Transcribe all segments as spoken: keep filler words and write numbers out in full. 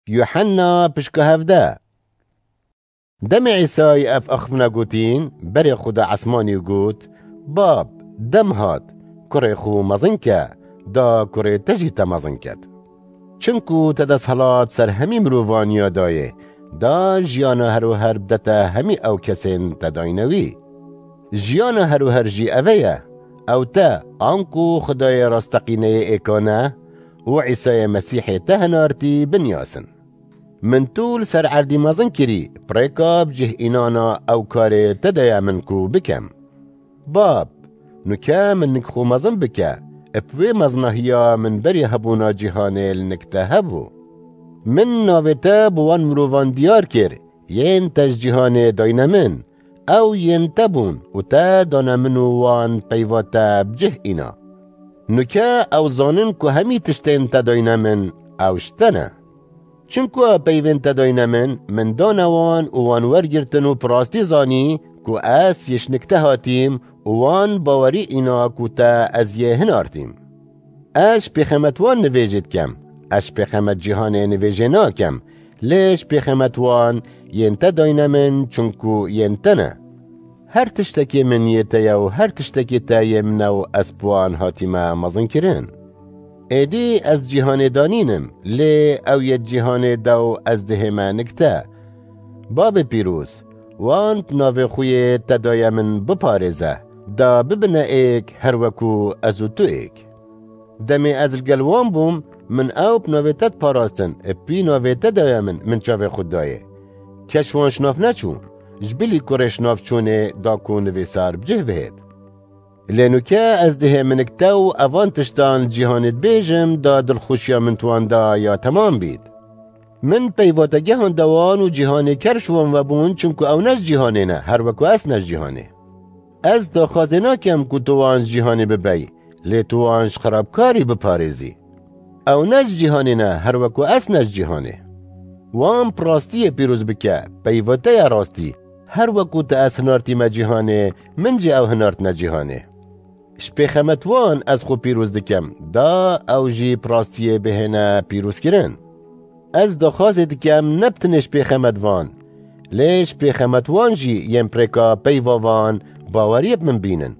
Yuhenna pişka hevde. Demê Îsayî ev axivina gotîn, berê xwe da esmanî û got, Bab, dem hat, kurê xwe mezin ke, da kurê te jî te mezin ket. Çimku te desthilat ser hemî mirovaniya dayê, da jiyana her û her bidete hemî ew kesên te dayne wî. Jiyana her û her jî eve ye, ew te, anku Xwedayê rasteqîneyê êkane û Îsayê Mesîhê te hinartî binyasin. Min tu li ser erdî mezin kirî, bi rêka bi cih înana ew karê te daye min ku bikem. Bab, nuke min nik xwe mezin bike, bi wê meznahiya min berî hebûna cîhanê li nik te hebû. Min navê te bi wan mirovan diyar kir, yên te ji cîhanê dayne min, ew yên te bûn û te dane min û wan peyva te bi cih îna. Nuke ew zanin ku hemî tiştên te dayne min, ew ji te ne. Çimku ew peyvên te dayne min, min dane wan û wan wergirtin û bi rastî zanî ku ez yê ji nik te hatîm û wan bawerî îna ku te ez yê hinartîm. Ez ji pêxemet wan nivêjê dikem, ez ji pêxemet cîhanê nivêjê nakem, lê ji pêxemet wan yên te dayne min, çimku yên te ne. Her tiştekê min yê te ye û her tiştekê te yê min e û ez bi wan hatîme mezinkirin. Êdî ez cîhanê danînim, lê ew yê cîhanê de û ez dihême nik te. Babê pîroz, wan di navê xwe yê te daye min biparêze, da bibine êk her wekû ez û tu êk. Demê ez li gel wan bûm, min ew bi navê te diparastin, bi navê te daye min, min çavê xwe dayê. Kes wan şinav neçû, ji bilî kurê şinav çûnê da ku nivîsar bi cih bihêt. Lê nuke ez dihê minik te û evan tiştan li cîhanê dibêjim, da dilxweşiya min tuwan da ya temam bît. Min peyvategehan dewan û cîhanê ker ji wan vebûn, çimku ew ne ji cîhanê ne, her wekû ez ne ji cîhanê. Ez daxwazê nakem ku tu wan ji cîhanê bibey, lê tu wan ji xerabkarî biparêzî. Ew ne ji cîhanê ne, her wekû ez ne ji cîhanê. Wan bi rastiyê pîroz bike, peyva te ya rastî, her wekû te ez hinartîme cîhanê, min jî ew hinartine cîhanê. Ji pêxemet wan ez xwe pîroz dikim, da ew jî bi rastiyê bihêne pîrozkirin. Ez daxwazê dikim ne bi tenê ji pêxemet van, lê ji pêxemet wan jî yên bi rêka peyva van baweriyê bi min bînin.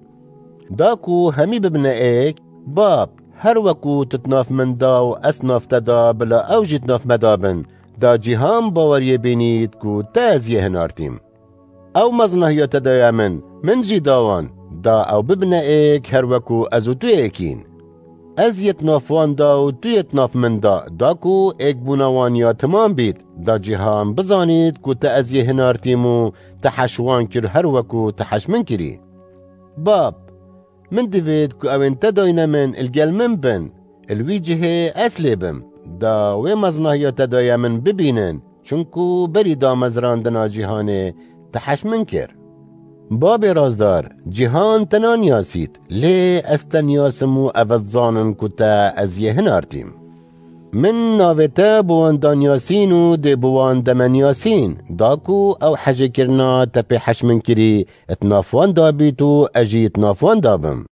Da ku hemî bibine êk, Bab, her wekû tu di nav min da û ez di nav te da, bila ew jî di nav me da bin, da cîhan baweriyê bînît ku te ez yê hinartîm. Ew mezinahiya te daye min, min jî da wan, da ew bibine êk her wekû ez û tu êkîn. Ez yê di nav wan da û tu yê di nav min da, da ku êkbûna wan ya temam bît, da cîhan bizanît ku te ez yê hinartîm û te heş wan kir her wekû te heş min kirî. Bab, min divêt ku ewên te dayne min li gel min bin, li wî cihê ez lê bim, da wê mezinahiya te daye min bibînin, çimku berî damezrandina cîhanê te heş min kir. Babê razdar, cîhan te naniyasît, lê ez te niyasim û ev dizanin ku te ez yê hinartîm. Min navê te bi wan daniyasîn û dê bi wan demeniyasîn, da ku ew hejêkirina te pê heş min kirî, di nav wan da bît û ez jî di nav wan da bim.